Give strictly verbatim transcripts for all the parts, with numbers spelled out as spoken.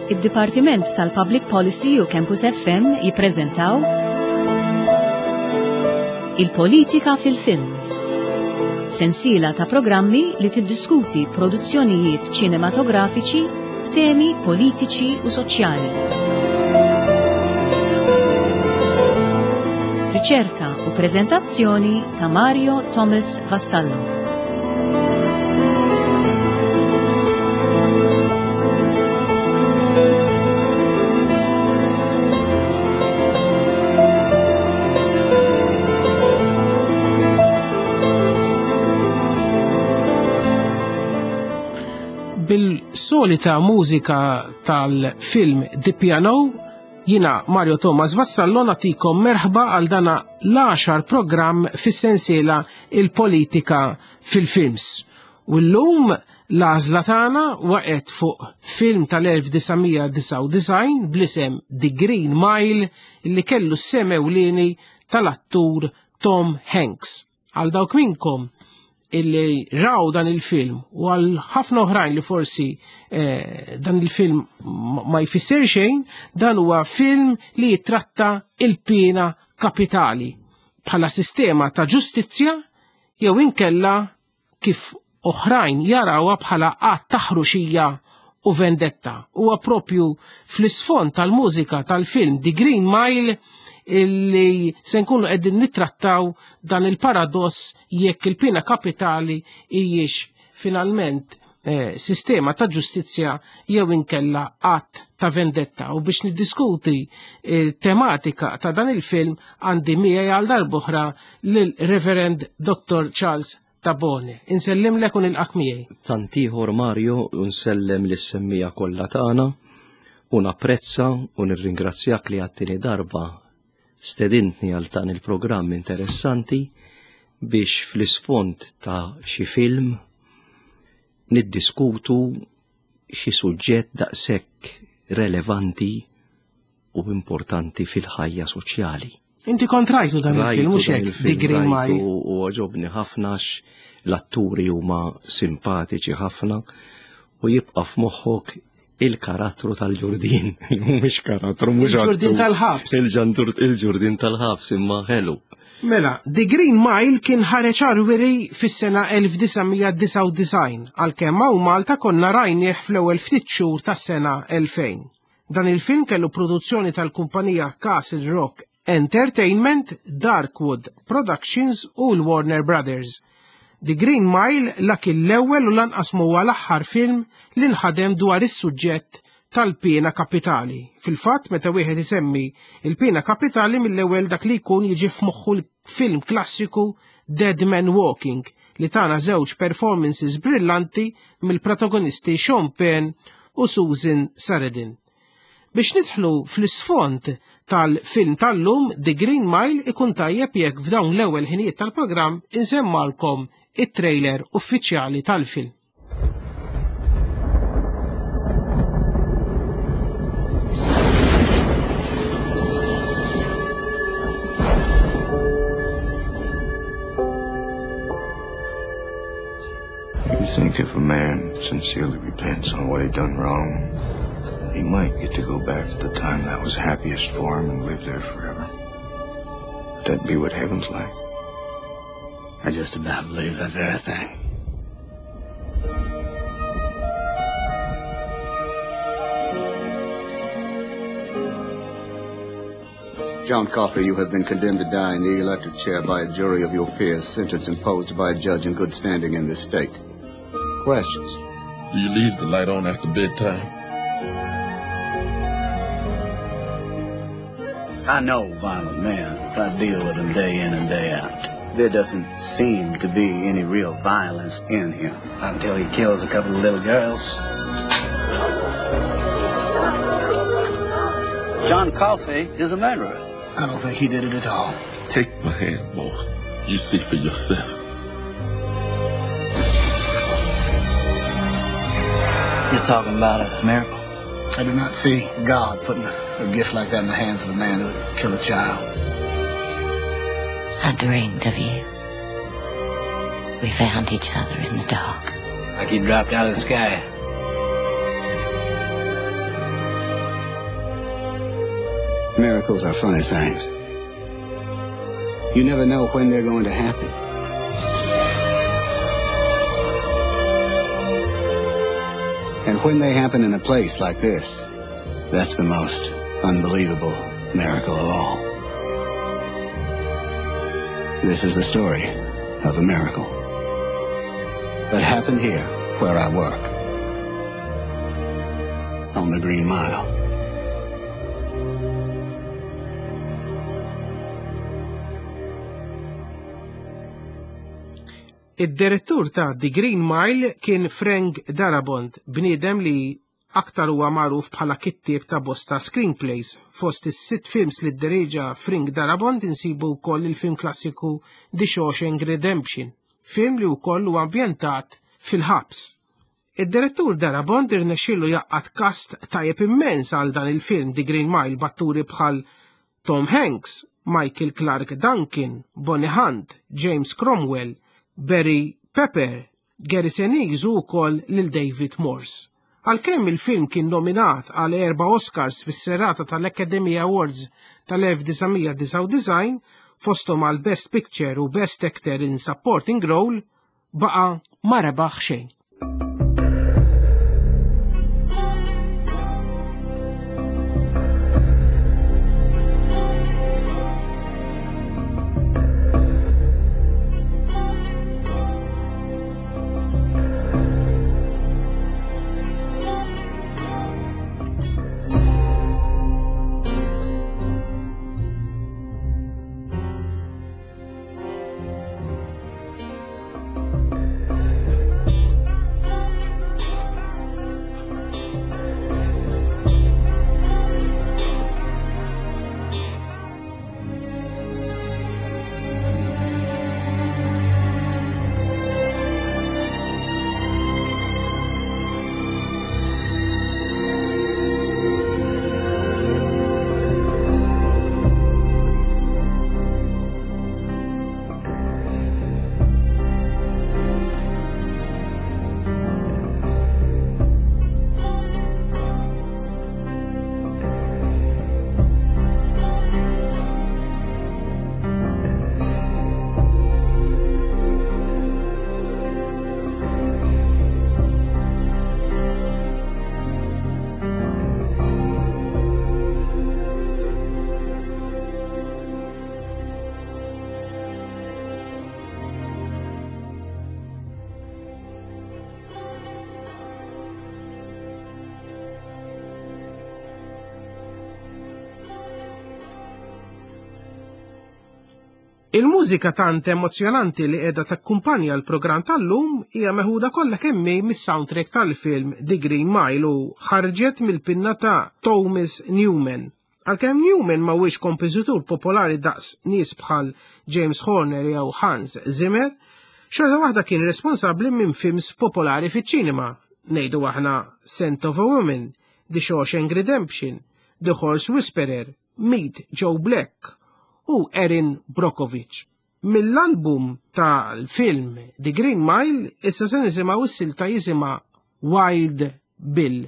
Id-Dipartiment tal-Public Policy u Campus F M jippreżentaw Il-Politika fil-Films. Sensiela ta' programmi li tiddiskuti produzzjonijiet ċinematografiċi b'temi politiċi u soċjali. Riċerka u preżentazzjoni ta' Mario Thomas Vassallo. Bil-solita mużika tal-film The Piano, jina Mario Thomas Vassallo natikom merħba għal dana l-għaxar programm fis-sensiela Il-Politika fil-Films. U llum l-għażla tagħna waqgħet fuq film tal-elf disa' mija disgħa u disgħin bl-isem The Green Mile li kellu s-sem ewlieni tal-attur Tom Hanks. Għal dawk minnkom illi raw dan il-film u għal ħafna oħrajn li forsi, eh, dan il-film ma jfisser xejn, dan huwa film li jitratta il-pena kapitali bħala sistema ta' ġustizzja jew inkella kif oħrajn jarawha bħala att ta' ħruxija u vendetta. Huwa propju fl-isfond tal-mużika tal-film The Green Mile illi se nkunu qegħdin nittrattaw dan il-paradoss jekk il-pena kapitali hijiex finalment, eh, sistema ta' ġustizzja jew inkella att ta' vendetta. U biex niddiskuti il-tematika ta' dan il-film għandi miegħi għal darb'oħra lil Reverend Doctor Charles Tabone. Insellimlek u nilqak miegħi. Tantiħor Mario, nsellem lis-semmija kollha tagħna u napprezza u nirringrazzjak li għattini darba stedintni għal dan il-programm interessanti biex fl-isfond ta' xi film niddiskutu xi suġġett daqshekk relevanti u importanti fil-ħajja soċjali. Inti kont rajtu dan il-film, Rajtu mhux dan hekk, il-film, The Green rajtu Mile. U għoġobni ħafna għax l-atturi huma simpatiċi ħafna u jibqa' f'moħħok il-karattru tal-ġurdin. Mhux karattru, mhux Il-ġurdin attur. tal-ħabs. Il-ġandur, il-ġurdin tal-ħabs imma ħelu. Mela, The Green Mile kien ħareġ għarwiri fis-sena elf disa' mija disgħa u disgħin, għalkemm hawn Malta konna rajnieh fl-ewwel ftit xhur tas-sena elfejn. Dan il-film kellu produzzjoni tal-kumpanija Castle Rock Entertainment, Darkwood Productions u l-Warner Brothers. The Green Mile la kien l-ewwel u lanqas huwa l-aħħar film li nħadem dwar is-suġġett tal-pena kapitali. Fil-fatt, meta wieħed isemmi il-pena kapitali mill-ewwel dak li jkun jiġi f'moħħu l-film klassiku Dead Man Walking li tana żewġ performances brillanti mill-protagonisti Sean Penn u Susan Sarandon. Biex nidħlu fl-isfond tal-film tal-lum The Green Mile ikun tajjeb jekk f'dawn l-ewwel ħinijiet tal-programm insemmalkom it-trailer uffiċjali tal-film. You think if a man sincerely repents on what he done wrong, he might get to go back to the time that was happiest for him and live there forever. Would that be what heaven's like? I just about believe that very thing. John Coffey, you have been condemned to die in the electric chair by a jury of your peers, sentence imposed by a judge in good standing in this state. Questions? Do you leave the light on after bedtime? I know violent men. I deal with them day in and day out. There doesn't seem to be any real violence in him. Until he kills a couple of little girls. John Coffey is a murderer. I don't think he did it at all. Take my hand, boy. You see for yourself. You're talking about a miracle. I do not see God putting a gift like that in the hands of a man who would kill a child. I dreamed of you. We found each other in the dark. Like he dropped out of the sky. Miracles are funny things. You never know when they're going to happen. And when they happen in a place like this, that's the most unbelievable miracle of all. This is the story of a miracle that happened here where I work, on the Green Mile. Id-direttur ta' The Green Mile kien Frank Darabont, bniedem li aktar huwa magħruf bħala kittieb ta' bosta screenplays. Fost is-sitt films li dderieġa Frank Darabont insibu wkoll il-film klassiku The Shawshank Redemption, film li wkoll huwa ambjentat fil-ħabs. Id-direttur Darabont irnexxielu jaqgħad kast tajjeb immens għal dan il-film The Green Mile b'atturi bħal Tom Hanks, Michael Clark Duncan, Bonnie Hunt, James Cromwell, Barry Pepper, Gary Sinise u wkoll lil David Morse. Għalkemm il-film kien nominat għal erba' Oscars fis-serata tal-Academy Awards tal-elf disa' mija disgħa u disgħin, fosthom għal Best Picture u Best Actor in Supporting Role, baqa' ma rebaħ xejn. Il-mużika tant emozjonanti li qiegħda takkumpanja l-programm tal-lum hija meħuda kollha kemm hi mis-soundtrack tal-film The Green Mile u ħarġet mill-pinna ta' Thomas Newman. Għalkemm Newman ma huwiex kompożitur popolari daqs nies bħal James Horner jew Hans Zimmer, xorta waħda kien responsabbli minn films popolari fiċ-ċinema, ngħidu aħna Scent of a Woman, The Shawshank Redemption, The Horse Whisperer, Meet Joe Black u Erin Brockovich. Mill-album tal-film The Green Mile issa se nisimgħu s-silta jisimha Wild Bill.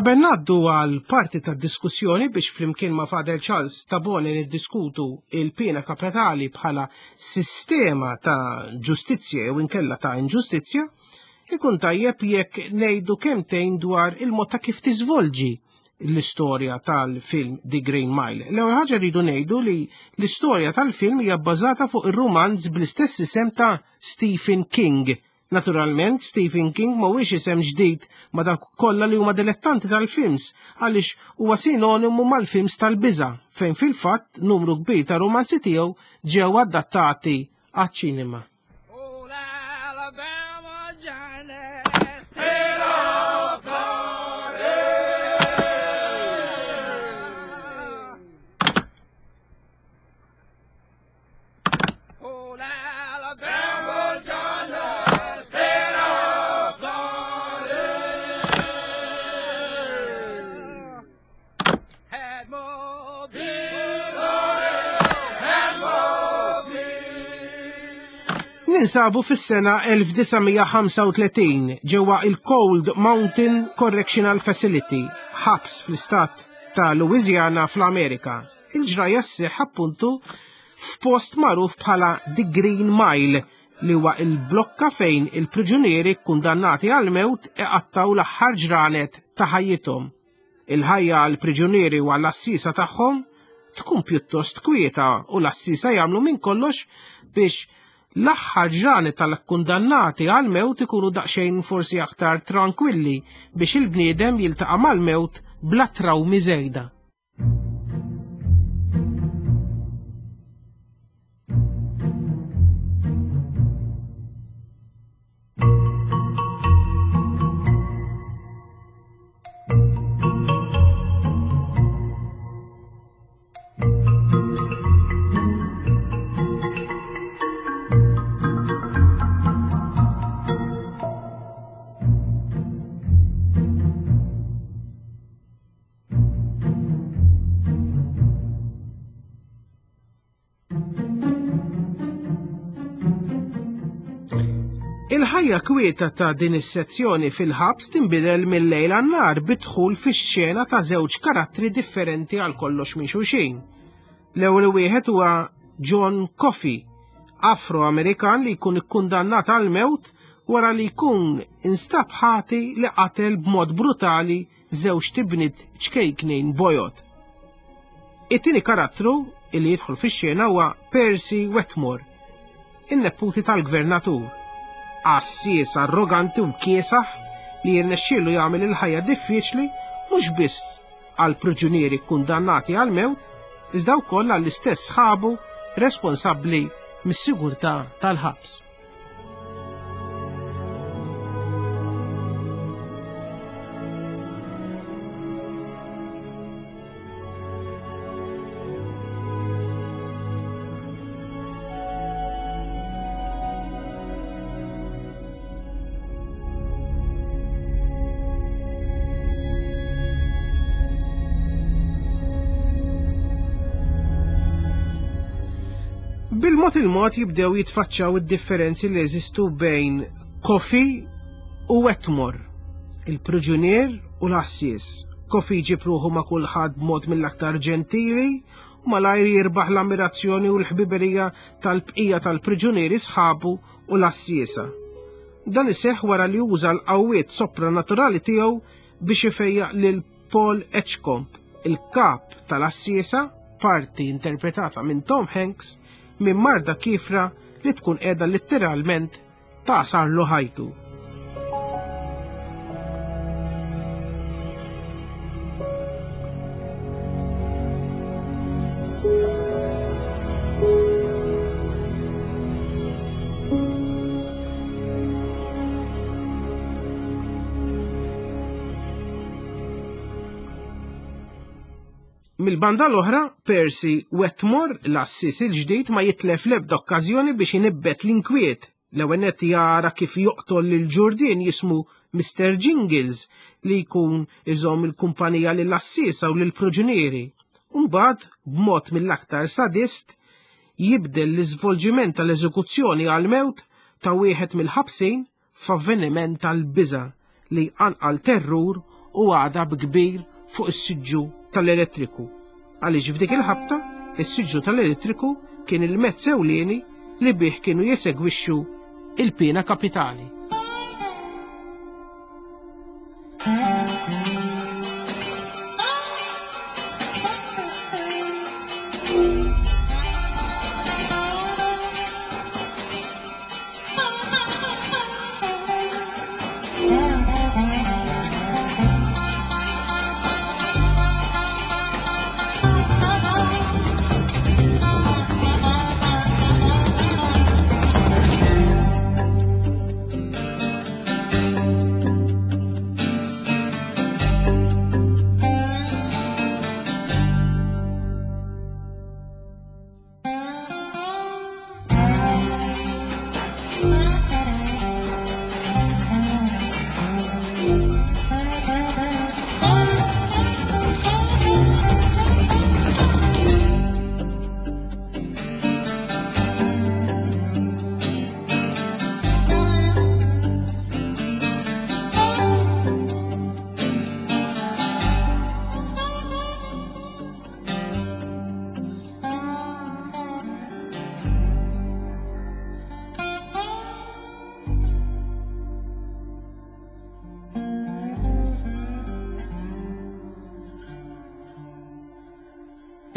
Qabel ngħaddu għal parti tad-diskussjoni biex flimkien ma' Father Charles Tabone niddiskutu il-pena kapitali bħala sistema ta' ġustizzja jew inkella ta' inġustizzja, ikun tajjeb jekk ngħidu kemmtejn dwar il-mod ta' kif tiżvolġi l-istorja tal-film The Green Mile. L-ewwel ħaġa rridu ngħidu li l-istorja tal-film hija bbażata fuq ir-rumanz bl-istess isem ta' Stephen King. Naturalment, Stephen King mhuwiex isem ġdid ma' dak kollha li huma dilettanti tal-films, għaliex huwa sinonimu mal-films tal-biża', fejn fil-fatt numru kbir ta' romanzi tiegħu ġew adattati għaċ-ċinema. Ninsabu fis-sena elf disa' mija ħamsa u tletin ġewwa il-Cold Mountain Correctional Facility, ħabs fl-istat ta' Louisiana fl-Amerika. Il-ġrajja sseħħ appuntu f'post magħruf bħala The Green Mile, li huwa il-blokka fejn il-priġunieri kkundannati għal-mewt iqattaw l-aħħar ġranet ta' ħajjithom. Il-ħajja għall-priġunieri u għall-assisa tagħhom tkun pjuttost kwieta u l-assisa jagħmlu minn kollox biex l-aħħar ġranet tal-kundannati għal-mewt ikunu daqsxejn forsi aktar tranquilli biex il-bniedem jiltaqa' mal-mewt bla trawmi żejda. Il-ħajja kwieta ta' din is-sezzjoni fil-ħabs tinbidel mill-lejl għan-nar bidħul fix-xena ta' żewġ karattri differenti għal kollox minn xulxin. L-ewwel wieħed huwa John Coffey, Afro-Amerikan li jkun ikkundannat għal mewt wara li jkun instab ħati li qatel b'mod brutali żewġ tibnit ċkejknin bojod. It-tieni karattru li jidħol fix-xena huwa Percy Wetmore, in-neputi tal-gvernatur, għassies arroganti u kiesaħ li jirnexxielu jagħmel il-ħajja diffiċli mhux biss għal priġunieri kkundannati għal mewt, iżda wkoll għall-istess sħabu responsabbli mis-sigurtà tal-ħabs. Bil-mod il-mod jibdew jitfaċċaw id-differenzi li jeżistu bejn Coffey u Wetmore, il-priġunier u l-għassies. Coffey jġib ruħu ma' kulħadd b'mod mill-aktar ġentili u malajr jirbaħ l-ammirazzjoni u l-ħbiberija tal-bqija tal-priġunieri sħabu u l-għassiesa. Dan iseħħ wara li uża l-qawwiet sopranaturali tiegħu biex ifejjaq lil Paul Edgecombe, il-kap tal-għassiesa, parti interpretata minn Tom Hanks, minn marda kifra li tkun qiegħda letteralment tagħsarlu ħajtu. Mill-banda l-oħra, Percy Wetmore, l-assis il-ġdid, ma jitlef l-ebda okkażjoni biex inibbet l-inkwiet. L-ewwel nett jara kif joqtol lil ġurdien jismu Mister Jingles li jkun iżomm il-kumpanija lill-assisa u lill-proġunieri. Mbagħad, b'mod mill-aktar sadist, jibdel l-iżvolġiment tal-eżekuzzjoni għal-mewt ta' wieħed mill-ħabsin f'avveniment tal-biża' li anqal terrur u għadab kbir fuq is-siġġu tal-elettriku. Għaliex f'dik il-ħabta, is-siġġu tal-elettriku kien il-mezz ewlieni li bih kienu jesegwixxu il-pena kapitali.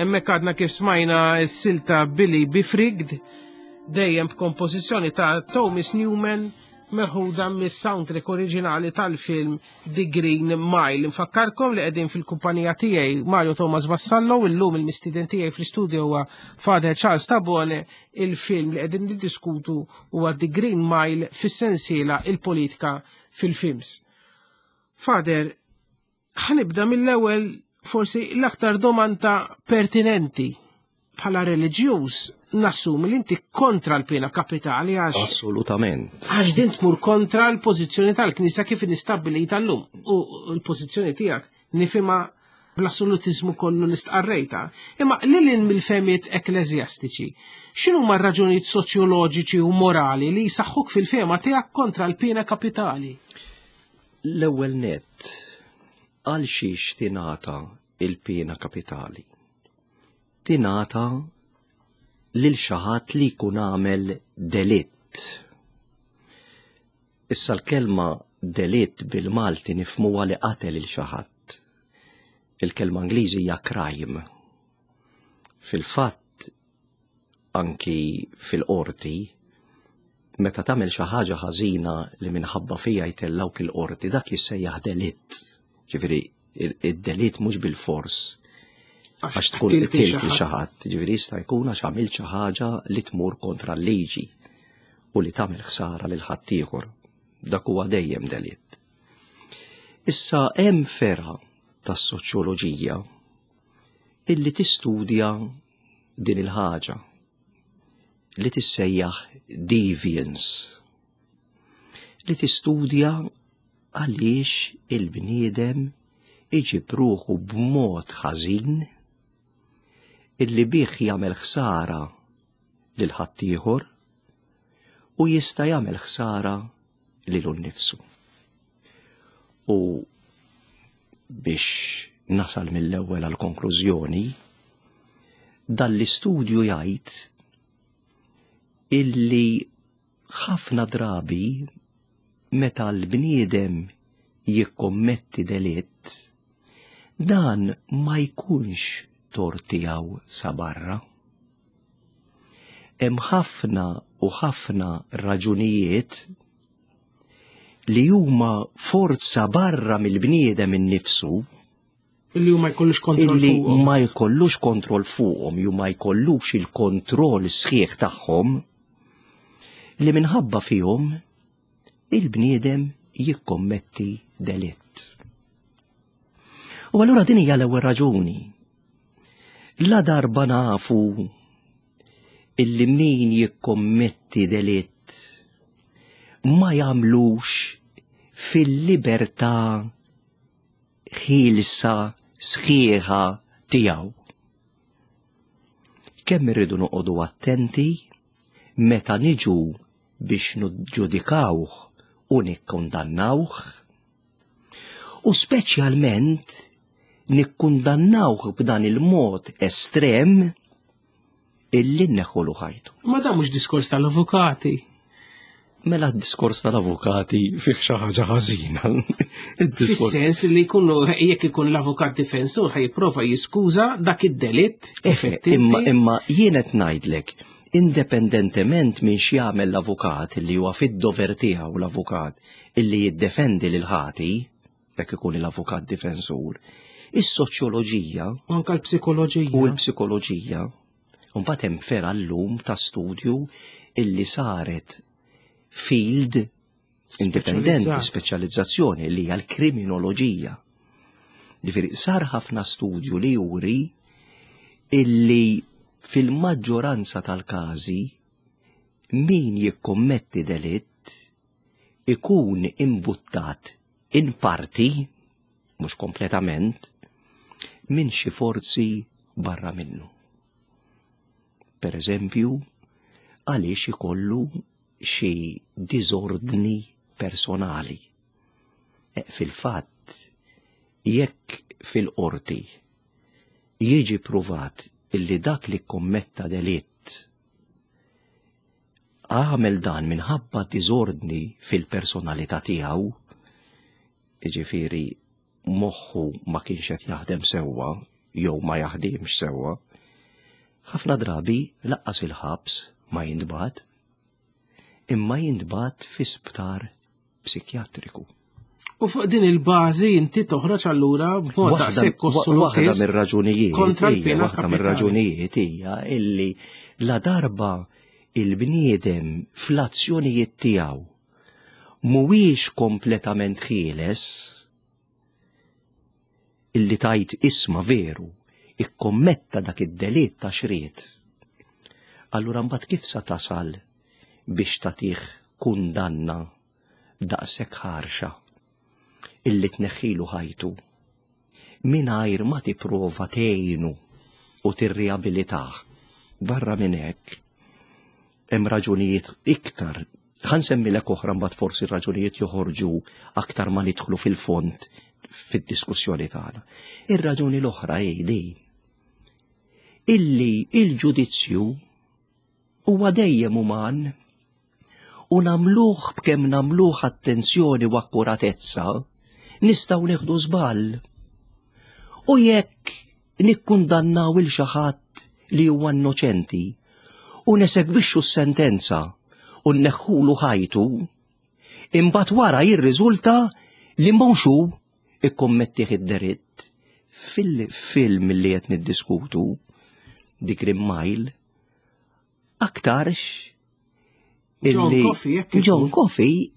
Hemmhekk għadna kif smajna s-silta Billy Befrigged, dejjem b'kompożizzjoni ta' Thomas Newman meħuda mis-soundtrack oriġinali tal-film The Green Mile. Nfakkarkom li qegħdin fil-kumpanija tiegħi Mario Thomas Vassallo, illum il-mistieden tiegħi fl-istudio huwa Father Charles Tabone. Il-film li qegħdin niddiskutu huwa The Green Mile fis-sensiela il-politika fil-films. Father, ħanibda mill-ewwel forsi l-aktar domanda pertinenti. Bħala reliġjuż nassumi li inti kontra l-pena kapitali għax Assolutament. Għax din tmur kontra l-pożizzjoni tal-Knisja kif nistabbilita llum. U l-pożizzjoni tiegħek nifhimha bl-assolutiżmu kollu li stqarrejta. Imma lil hinn mill-fehmiet ekkleżjastiċi, x'inhuma r-raġunijiet soċjoloġiċi u morali li jsaħħuk fil-fehma tiegħek kontra l-pena kapitali? L-ewwel nett, għal xiex tingħata il-pena kapitali? Tingħata lil xi ħadd li jkun għamel delitt. Issa l-kelma delitt bil-Malti nifhmuha li qatel lil xi ħadd. Il-kelma Ingliżi hija crime. Fil-fatt, anki fil-qorti, meta tagħmel xi ħaġa ħażina li minħabba fija jtellawk il-qorti, dak jissejjaħ delitt. Ġifieri id-delitt mhux bil-fors għax tkun qtilt lil xi ħadd, ġifieri jista' jkun għax għamilt xi ħaġa li tmur kontra l-liġi u li tagħmel ħsara lil ħaddieħor. Dak huwa dejjem delitt. Issa hemm fergħa tas-soċjoloġija illi tistudja din il-ħaġa li tissejjaħ deviance, li tistudja għaliex il-bniedem iġib ruħu b'mod ħażin illi bih jagħmel ħsara lil ħaddieħor u jista' jagħmel ħsara lilu nnifsu. U biex nasal mill-ewwel għal konklużjoni, dan l-istudju jgħid illi ħafna drabi meta l-bniedem jikkommetti delitt, dan ma jkunx tort tiegħu sa barra. Hemm ħafna u ħafna raġunijiet li huma forza barra mill-bniedem innifsu, illi ma jkollux kontroll illi fuqhom. ma jkollux kontroll fuqhom, jew ma jkollux il-kontroll sħiħ tagħhom, li minħabba fihom il-bniedem jikkommetti delitt. U allura din hija l-ewwel raġuni. La darba nafu illi min jikkommetti delitt ma jagħmlux fil-libertà ħielsa sħiħa tiegħu. Kemm irridu noqogħdu attenti meta niġu biex niġġudikawh u nikkundannawh, U speċjalment nikkundannawh b'dan il-mod estrem illi nneħħulu ħajtu. Ma dan mhux diskors tal-avukati. Mela d-diskors tal-avukati fih xi ħaġa ħażina. Fis-sens li jkunu jekk ikun l-avukat difensur ħa jipprova jiskuża dak id-delitt. Imma imma jien qed ngħidlek, indipendentement minn x'jagħmel l-avukat li huwa fid-dover tiegħu l-avukat illi jiddefendi lil ħati, jekk ikun l-avukat difensur, is-soċjoloġija u anke l-psikoloġija u l-psikoloġija, u mbagħad hemm fergħa llum ta' studju illi saret field indipendenti, speċjalizzazzjoni li hija l-kriminoloġija. Ġifieri sar ħafna studju li juri illi fil-maġġoranza tal-każi min jikkommetti delitt ikun imbuttat in parti, mhux kompletament, minn xi forzi barra minnu. Per eżempju, għaliex ikollu xi diżordni personali. E, fil-fatt, jekk fil-qorti jiġi pruvat illi dak li kommetta delitt għamel dan minħabba diżordni fil-personalità tiegħu, jiġifieri moħħu ma kienx qed jaħdem sewwa jew ma jaħdimx sewwa, ħafna drabi laqqas il-ħabs ma jintbagħat, imma jintbagħat fi sptar psikjatriku. U fuq din il-bażi inti toħroġ allura b'mod daqshekk Waħda mir-raġunijiet kontra l-pena waħda mir-raġunijiet hija illi la darba il-bniedem fl-azzjonijiet tiegħu mhuwiex kompletament ħieles, illi tajt isma veru ikkommetta dak id-delitt ta' xriet. Allura mbagħad kif sa tasal biex tagħtih kundanna daqshekk ħarxa illi tneħħilu ħajtu mingħajr ma tipprova tgħinu u tirriabilitah? Barra minn hekk hemm raġunijiet iktar, ħa nsemmilek oħra mbagħad forsi raġunijiet joħorġu aktar ma nidħlu fil-fond fid-diskussjoni tagħna. Ir-raġuni l-oħra hi din illi il-ġudizzju huwa dejjem uman u nagħmluh b'kemm nagħmluh attenzjoni u akkuratezza nistgħu nieħdu żball. U jekk nikkundannaw il xi ħadd li huwa innoċenti u nesegwixxu s-sentenza u nneħħulu ħajtu, imbagħad wara jirriżulta li mhux hu ikkommettih id-delitt. Fil-film li qed niddiskutu, The Green Mile, aktarx John Coffey, jekk John Coffey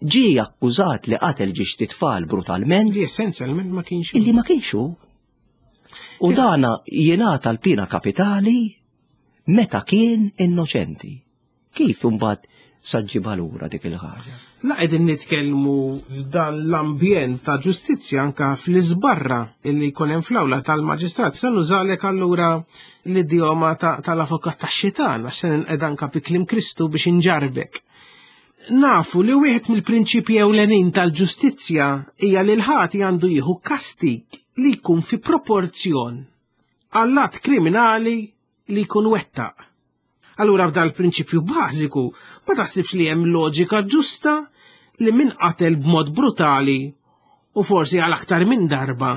ġie akkużat li qatel ġiex tfal brutalment. Li essenzjalment ma kienx. Illi ma kienx hu. U dana jingħata l-pina kapitali meta kien innoċenti. Kif imbagħad sa ġġibha lura dik il-ħaġa? La qegħdin nitkellmu f'dan l-ambjent ta' ġustizzja anka fl-iżbarra illi jkun hemm fl-awla tal-maġistrat. Se nużalek allura l-idjoma tal-avukat tax-xitan għax se ninqed anka bi kliem Kristu biex inġarbek. Nafu li wieħed mill-prinċipji ewlenin tal-ġustizzja hija li l-ħati għandu jieħu kastig li jkun fi proporzjon għall-att kriminali li jkun wettaq. Allura f'dal prinċipju bażiku ma taħsibx li hemm loġika ġusta li min qatel b'mod brutali u forsi għal aktar minn darba,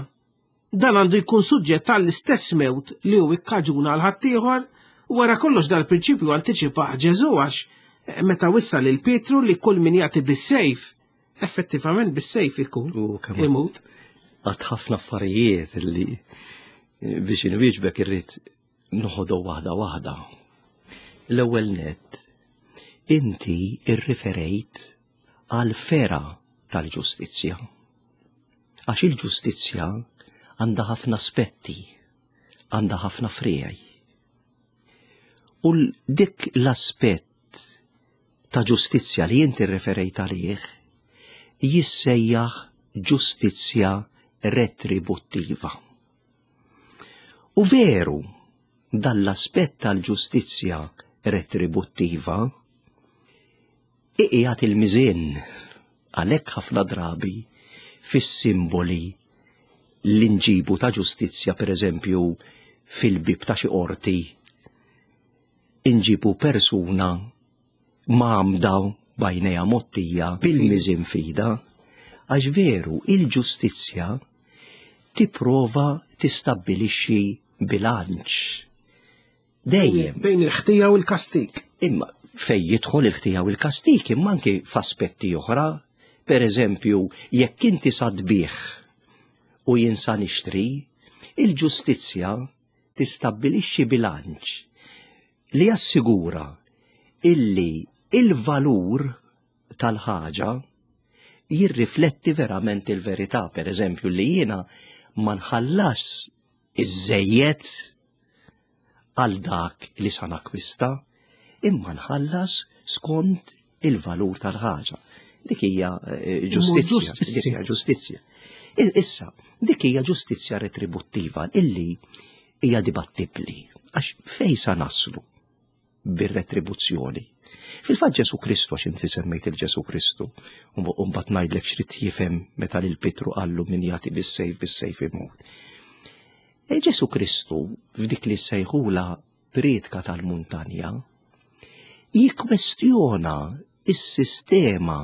dan għandu jkun suġġett għall-istess mewt li hu ikkaġuna għal ħaddieħor. Wara kollox dal-prinċipju antiċipah Ġesu għax meta wissa lil Pietru li kull min jagħti bis-sejf, effettivament bis-sejf ikun imut. Għad ħafna affarijiet li biex inwieġbek irrid noħodu waħda waħda. L-ewwel nett, inti irriferejt għal fera tal-ġustizzja. Għax il-ġustizzja għandha ħafna aspetti, għandha ħafna friegħi. U dik l-aspett ta' ġustizzja li inti rreferejt għalih jissejjaħ ġustizzja retributtiva. U veru, dan l-aspett tal-ġustizzja retributtiva iqiegħed il-miżien, għalhekk ħafna drabi fis-simboli li nġibu ta' ġustizzja, per eżempju, fil-bib ta' xi qorti, inġibu persuna mgħammda b'għajnejha mgħottija bil-miżien f'idha, għax veru il-ġustizzja tipprova tistabbilixxi bilanċ. Dejjem. Bejn il-ħtija u l-kastik. Imma fej jidħol il-ħtija u l-kastik, imma anki f'aspetti oħra, per eżempju, jekk inti sa tbigħ u jien sa nixtri, il-ġustizzja tistabbilixxi bilanċ li jassigura illi il-valur tal-ħaġa jirrifletti verament il-verità. Per eżempju, li jiena ma nħallas iż-żejjed għal dak li sa nakwista, imma nħallas skont il-valur tal-ħaġa. Dik hija eh, ġustizzja. Dik hija ġustizzja. Issa, dik hija ġustizzja retributtiva illi hija dibattibbli. Għax fej sa naslu bir-retribuzzjoni? Fil-fatt Ġesu Kristu, għax inti semmejt il-Ġesu Kristu, u mbagħad ngħidlek x'rid jifhem meta lil Pitru qallu min jagħti bis-sejf bis-sejf imut. E Ġesu Kristu f'dik li sejħula priedka tal-muntanja jikkwestjona is-sistema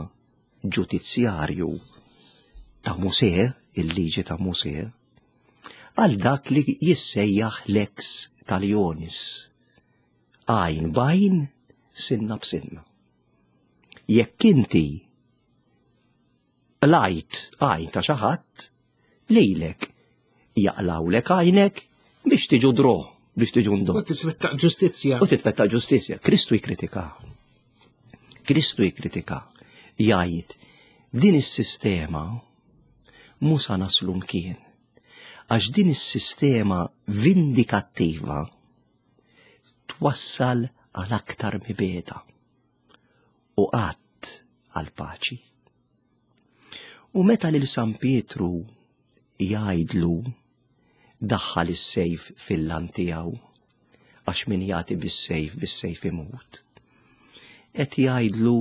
ġudizzjarju ta' Mosè, il-liġi ta' Mosè, għal dak li jissejjaħ lex talionis, għajn b'għajn, sinna b'sinna. Jekk inti qlajt għajn ta' xi ħadd, lilek jaqlawlek għajnek biex tiġu dro, biex tiġu ndo. U titwettaq ġustizzja. U titwettaq ġustizzja. Kristu jikkritika. Kristu jikkritika. Jgħid, din is-sistema mhu sa naslu mkien. Għax din is-sistema vindikattiva twassal għal aktar mibegħda u qatt għal paċi. U meta lil San Pietru jgħidlu daħħal is-sejf fil-lan tiegħu, għax min jagħti bis-sejf bis-sejf imut, qed jgħidlu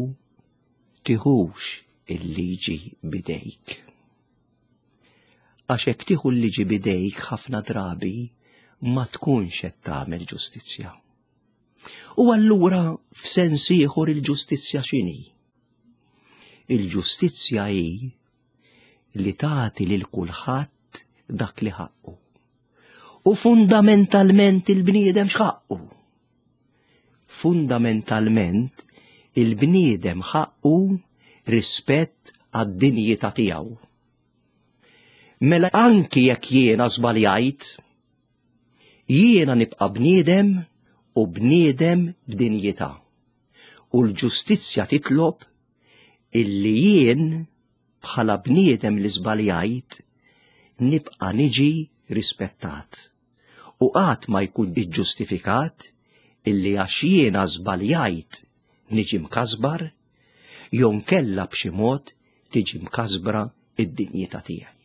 tiħux il-liġi bidejk. Għax hekk tieħu l-liġi bidejk ħafna drabi ma tkunx qed tagħmel ġustizzja. U allura f'sens ieħor il-ġustizzja x'inhi? Il-ġustizzja hi li tagħti lil kulħadd dak li ħaqqu. U fundamentalment il-bniedem x'ħaqqu? Fundamentalment il-bniedem ħaqqu rispett għad-dinjità tiegħu. Mela anki jekk jiena żbaljajt, jiena nibqa' bniedem u bniedem b'dinjità. U l-ġustizzja titlob illi jien bħala bniedem li żbaljajt nibqa' niġi rispettat. U qatt ma jkun iġġustifikat illi għax jiena żbaljajt niġi mkasbar, jew nkella b'xi mod tiġi mkasbra id-dinjità tiegħi.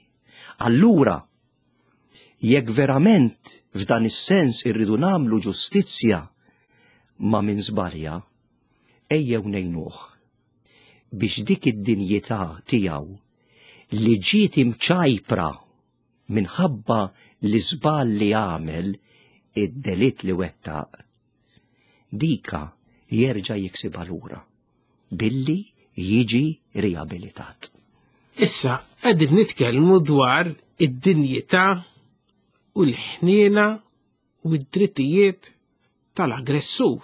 Allura, jekk verament f'dan is-sens irridu nagħmlu ġustizzja ma' min żbalja, ejjew ngħinuh biex dik id-dinjità tiegħu li ġiet imċajpra minħabba l-iżball li għamel, id-delitt li wettaq, dika jerġa' jiksibha lura billi jiġi riabilitat. Issa qegħdin nitkellmu dwar id-dinjità u l-ħniena u d-drittijiet tal-aggressur.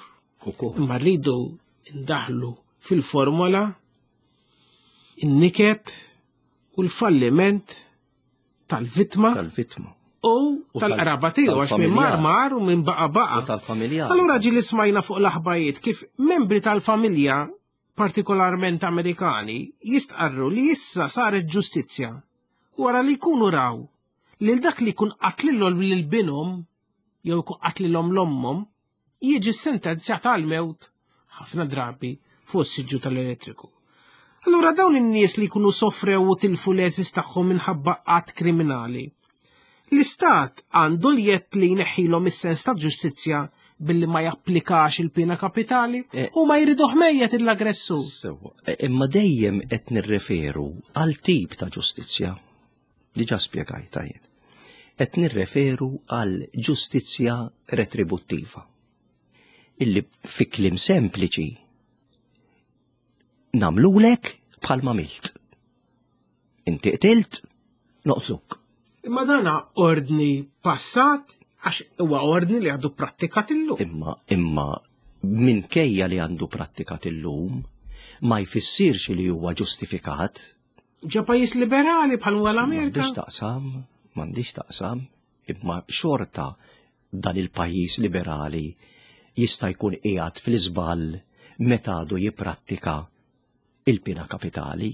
Imma rridu ndaħlu fil-formola in-niket u l-falliment tal-vittma tal-vittma u tal-qraba tiegħu, għax minn mar mar u minn baqa baqa. U tal-familja. Allura ġi li smajna fuq l-aħbajiet kif membri tal-familja, partikolarment Amerikani, jistqarru li issa saret ġustizzja wara li jkunu raw lil dak li jkun qatlilhom lil binhom jew jkun qatlilhom l-ommhom jiġi sentenzjat għal mewt ħafna drabi fuq is-siġġu tal-elettriku. Allura dawn in-nies li jkunu sofrew u tilfu l-eżis tagħhom minħabba qatt kriminali, l-istat għandu l-jett li jneħħilhom is-sens ta' ġustizzja billi ma japplikax il-pina kapitali u ma jriduh mejjet l-aggressur. Sewwa, imma dejjem qed nirreferu għal tip ta' ġustizzja li ġa spjegajta jien. Qed nirreferu għal ġustizzja retributtiva. Illi fi kliem sempliċi namlulek bħalma milt. Inti qtilt, noqtluk. Imma dana ordni passat għax huwa ordni li għadu prattikat illum. Imma imma minkejja li għandu prattikat illum ma jfissirx li huwa ġustifikat. Ġa pajjiż liberali bħal huwa l-Amerika. M'għandix taqsam, m'għandix taqsam, imma xorta dan il-pajjiż liberali jista' jkun qiegħed fl-iżball meta għadu jipprattika il-pina kapitali.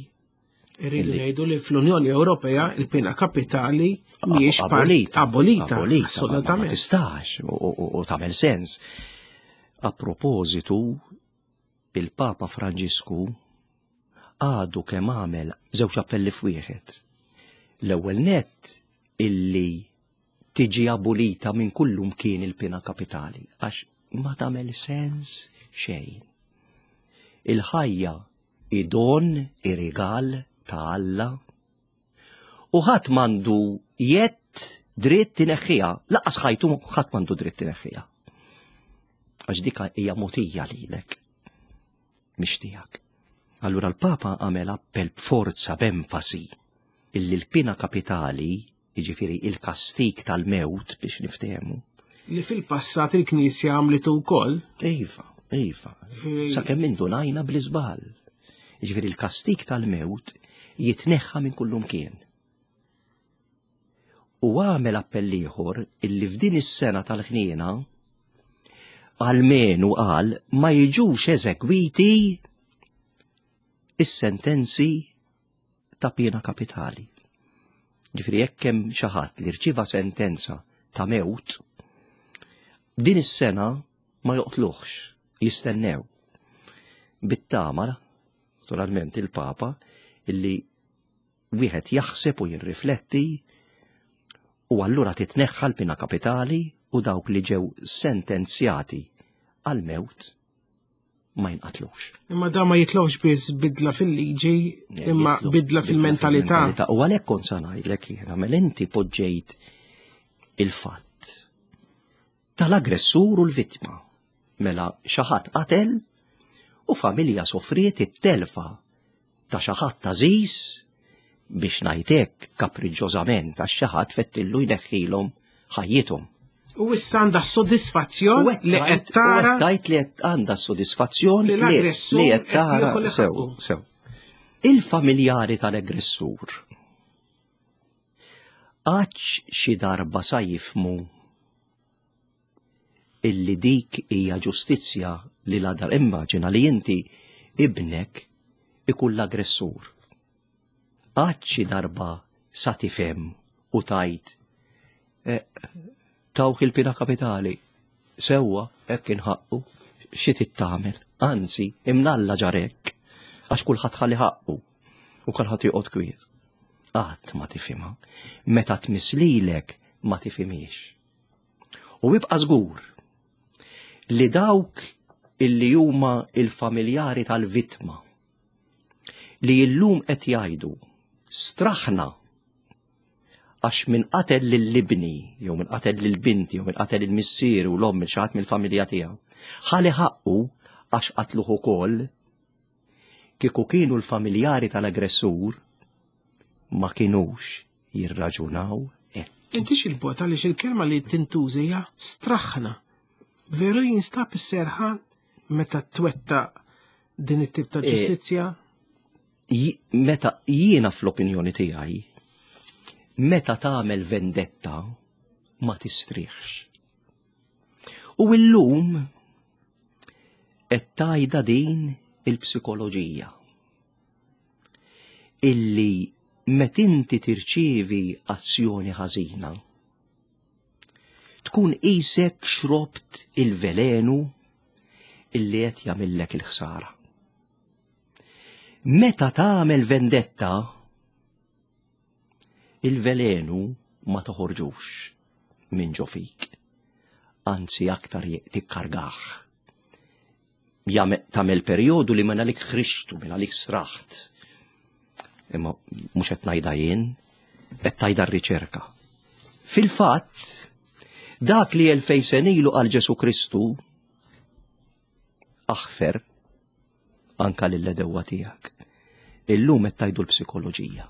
Irridu ngħidu li fl-Unjoni Ewropea il-pina kapitali mhijiex abolita, abolita, assolutament. Ma tistax u tagħmel sens. A propositu, il-Papa Franġisku għadu kemm għamel żewġ appelli f'wieħed. L-ewwel nett illi tiġi abolita minn kullum kien il-pina kapitali għax ma tagħmel sens xejn. Il-ħajja idon ir-rigal ta' Alla u ħadd m'għandu jett dritt ineħħiha, laqas ħajtu ħadd m'għandu dritt ineħħiha. Għax dik hija mogħtija lilek, mhix tiegħek. Allura l-Papa għamel appell b'forza b'enfasi illi l-pina kapitali, jiġifieri il-kastik tal-mewt biex niftehmu. Li fil-passat il-Knisja għamlitu wkoll. Iva, iva. Sakemm indunajna bl-iżball. Jiġifieri il-kastik tal-mewt jitneħħa minn kullum kien. U għamel appell ieħor illi f'din is-sena tal-ħniena għalmenu qal ma jiġux eżegwiti is-sentenzi ta' pena kapitali. Ġifieri jekk hemm xi ħadd li rċieva sentenza ta' mewt, din is-sena ma joqtluhx, jistennew. Bit-tama, naturalment il-Papa, illi wieħed jaħseb u jirrifletti u allura titneħħa l-pina kapitali u dawk li ġew sentenzjati għal-mewt ma jinqatlux. Imma da ma jitlowx biss bidla fil-liġi, imma bidla fil-mentalità. U għalhekk kont sa ngħidlek jiena, mela inti poġġejt il-fatt tal-aggressur u l-vittma. Mela xi ħadd qatel u familja sofriet it-telfa ta' xi ħadd għażiż biex ngħidlek kapriġġożament għax xi ħadd fettillu jneħħilhom ħajjithom. U issa għandha sodisfazzjon li qed tara. Tajt li qed għandha sodisfazzjon li qed tara sew, sew. Il-familjari tal-aggressur għax xi darba sa jifmu illi dik hija ġustizzja li la dar. Immaġina li inti ibnek ikun l-aggressur. Għax xi darba sa tifhem u tajt tawk il-pina kapitali, sewwa hekk inħaqqu, xi tittamel, anzi imnalla ġarek, għax kulħadd ħalli ħaqqu u kulħadd joqgħod kwiet. Qatt ma tifhimha, meta tmislilek ma tifhimiex. U ibqa' żgur li dawk illi huma il-familjari tal-vittma li illum qed jgħidu straħna għax min qatel lill-ibni, jew min qatel lill-binti, jew min qatel il-missier u l-omm xi ħadd mill-familja tiegħu, ħalli ħaqqu għax qatluh ukoll, kieku kienu l-familjari tal-aggressur ma kinux jirraġunaw hekk. Inti x'il-bot għaliex il-kelma li tintuża hija straħna. Veru jinstab is-serħan meta twettaq din it-tip ta' ġustizzja? Meta jiena fl-opinjoni tiegħi, meta tagħmel vendetta ma tistrieħx. U illum qed tgħidha din il-psikoloġija illi meta inti tirċievi azzjoni ħażina tkun qisek xrobt il-velenu illi qed jagħmillek il-ħsara. Meta tagħmel vendetta il-velenu ma toħorġux minn ġo fik. anzi aktar tikkargah. Tagħmel perjodu li minn għalik ħriġtu, minn għalik straħt. Imma mhux qed ngħidha jien, qed tgħidha r-riċerka. Fil-fatt, dak li elfej sena ilu għal Ġesu Kristu aħfer anka lill-edewwa tiegħek. Illum qed tgħidu l-psikoloġija.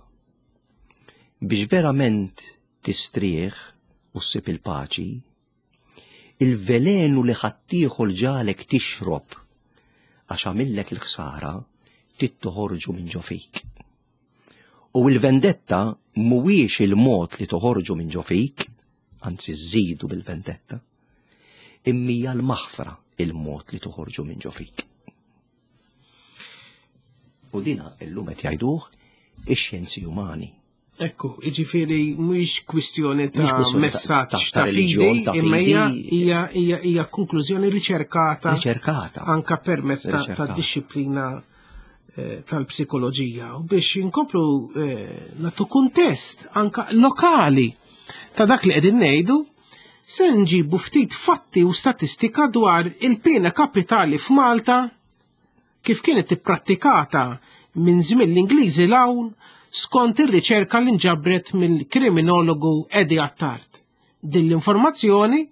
Biex verament tistrieħ u ssib il-paċi, il-velenu li ħaddieħor ġalek tixrob għax għamillek il-ħsara trid toħorġu minn ġo fik. U l-vendetta mhuwiex il-mod li toħorġu minn ġo fik, anzi żżidu bil-vendetta, imma hija l-maħfra il-mod li toħorġu minn ġo fik. U dina illum qed jgħiduh ix-xjenzi umani. Ekku, jiġifieri mhuwiex kwistjoni ta' messaġġ ta' reliġjon, fidi, imma hija hija hija hija konklużjoni riċerkata riċerkata anka permezz ta' Riċerkata. dixxiplina eh, tal-psikoloġija. U biex inkomplu eh, nagħtu kuntest anka lokali ta' dak li qegħdin ngħidu, se nġibu ftit fatti u statistika dwar il-pena kapitali f'Malta kif kienet ipprattikata minn żmien l-Ingliżi 'l hawn skont ir-riċerka li nġabret mill-kriminologu Eddie Attard. Din l-informazzjoni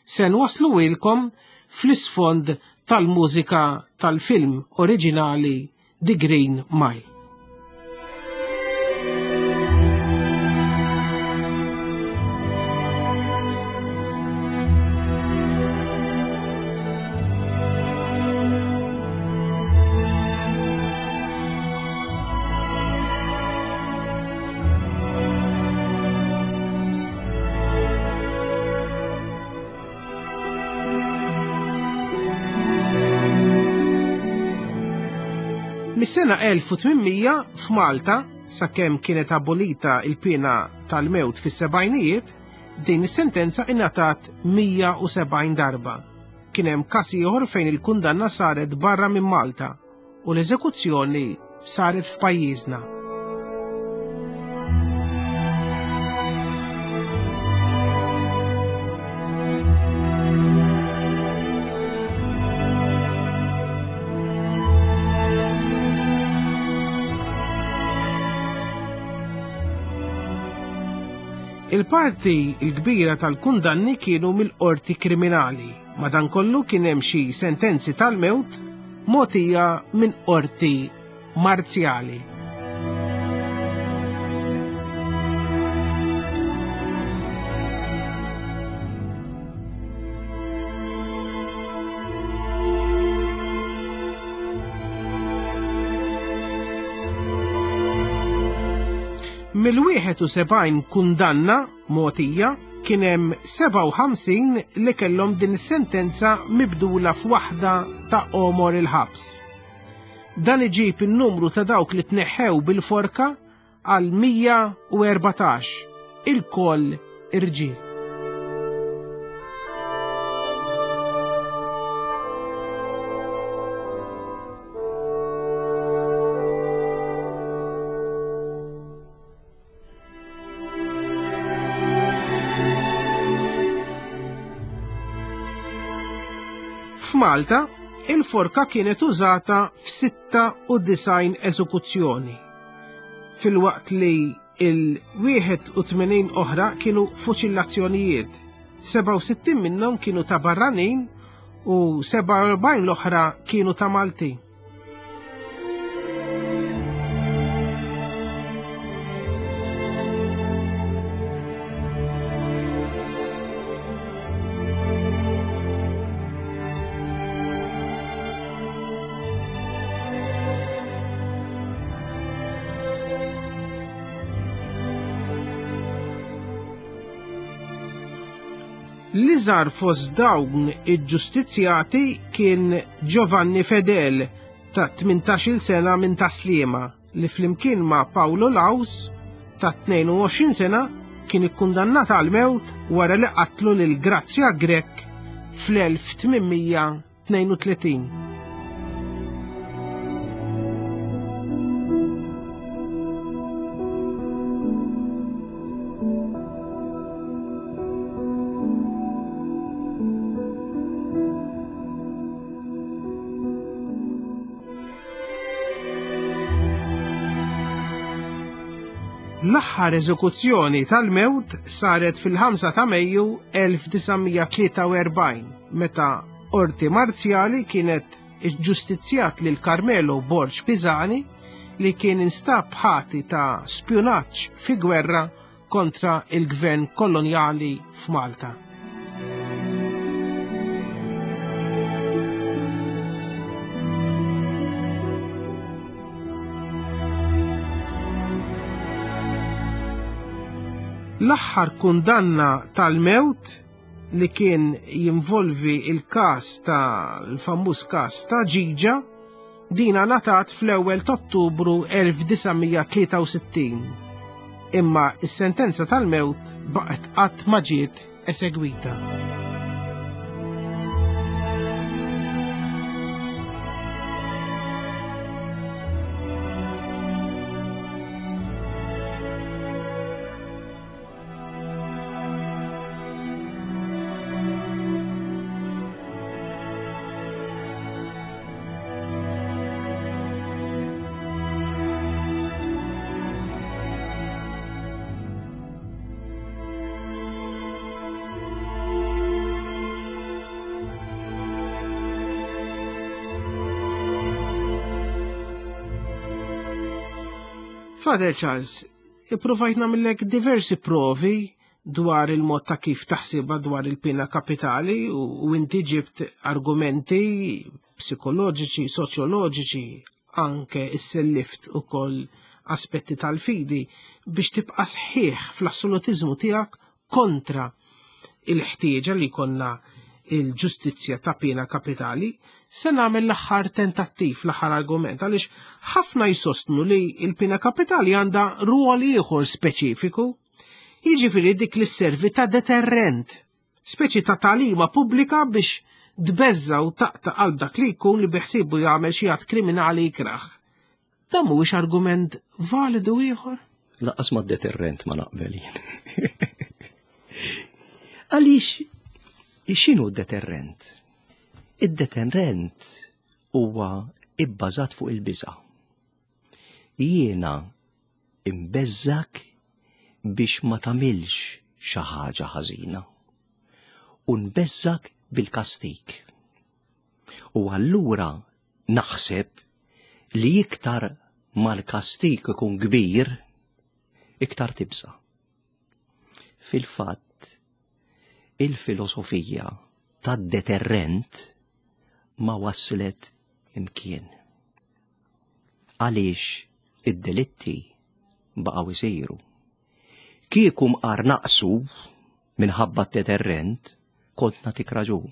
se nwasluhielkom fl-isfond tal-mużika tal-film oriġinali The Green Mile. Mis-sena elf u tmien mija f'Malta, sakemm kienet abolita il-pena tal-mewt fis-sebgħinijiet, din is-sentenza ingħatat mija u sebgħin darba. Kien hemm każ ieħor fejn il-kundanna saret barra minn Malta u l-eżekuzzjoni saret f'pajjiżna. Il-parti l-kbira tal-kundanni kienu mill-qorti kriminali, madankollu kien hemm xi sentenzi tal-mewt mogħtija minn qorti marzjali. Mill-wieħed u sebgħin kundanna mogħtija kien hemm sebgħa u ħamsin li kellhom din is-sentenza mibdula f'waħda ta' għomor il-ħabs. Dan iġib in-numru ta' dawk li tneħħew bil-forka għal mija u erbatax, ilkoll irġiel. F'Malta, il-forka kienet użata f'sitta u disgħin eżekuzzjoni, filwaqt li il-wieħed u tmenin oħra kienu fuċillazzjonijiet, sebgħa u sittin minnhom kienu ta' barranin u sebgħa u erbgħin l-oħra kienu ta' Maltin. L-iżgħar fost dawn iġġustizzjati kien Giovanni Fedel ta' tmintax-il sena minn Taslima li flimkien ma' Paolo Laus ta' tnejn u għoxrin sena kien ikkundannat għal mewt wara li qatlu lil Grazia Grech fl-elf tmien tnejn u tletin. L-aħħar eżekuzzjoni tal-mewt saret fil-ħamsa ta' Mejju elf disa' mija tlieta u erbgħin, meta qorti marzjali kienet iġġustizzjat lil Carmelo Borg Pisani li kien instab ħati ta' spjunaġġ fi gwerra kontra il-gvern kolonjali f'Malta. L-aħħar kundanna tal-mewt li kien jinvolvi il-każ tal-famuż każ ta' Ġiġa, dina ngħatat fl-ewwel ta' Ottubru elf disa' mija tlieta u sittin. Imma s-sentenza tal-mewt baqgħet qatt ma ġiet esegwita. Father Charles, ippruvajt nagħmellek diversi provi dwar il-mod ta' kif taħsibha dwar il-pena kapitali u, u inti ġibt argumenti psikoloġiċi, soċjoloġiċi, anke issellift ukoll aspetti tal-fidi biex tibqa' sħiħ fl-assolutiżmu tiegħek kontra il-ħtieġa li jkollna il-ġustizzja ta' pena kapitali. Se nagħmel l-aħħar tentattiv, l-aħħar argument, għaliex ħafna jsostnu li l-pena kapitali għandha rwol ieħor speċifiku, jiġifieri dik li sservi ta' deterrent, speċi ta' tagħlima pubblika biex tbeżża u taqta' qalb dak li jkun li biħsiebu jagħmel xi att kriminali ikrah. Dan mhuwiex argument validu ieħor? Lanqas ma' deterrent ma naqbel jien. Għaliex x'inhu d-deterrent? Id-deterrent huwa ibbażat fuq il-biża'. Jiena imbeżżak biex ma tagħmilx xi ħaġa ħażina u nbeżżak bil-kastik. U allura naħseb li iktar mal-kastik ikun kbir, iktar tibża'. Fil-fatt, il-filosofija tad-deterrent ma waslet imkien. Għaliex id-delitti baqgħu isiru. Kieku mqar naqsu minħabba d-deterrent, kont nagħtik raġun.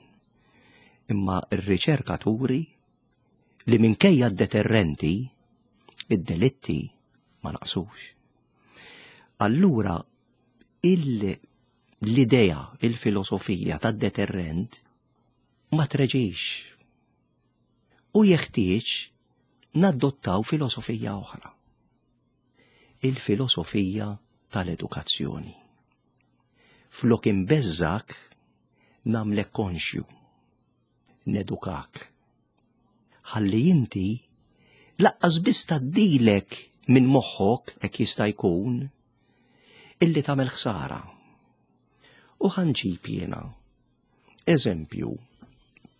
Imma r-riċerka turi li minkejja d-deterrenti, id-delitti ma naqsux. Allura il- l-idea, il-filosofija tad-deterrent ma treġix. U jeħtieġ nadottaw filosofija oħra. Il-filosofija tal-edukazzjoni. Flok imbeżżak, nagħmlek konxju, nedukak. Ħalli inti laqqas biss tgħaddilek minn moħħok hekk jista' jkun illi tagħmel ħsara. U ħanġib jiena eżempju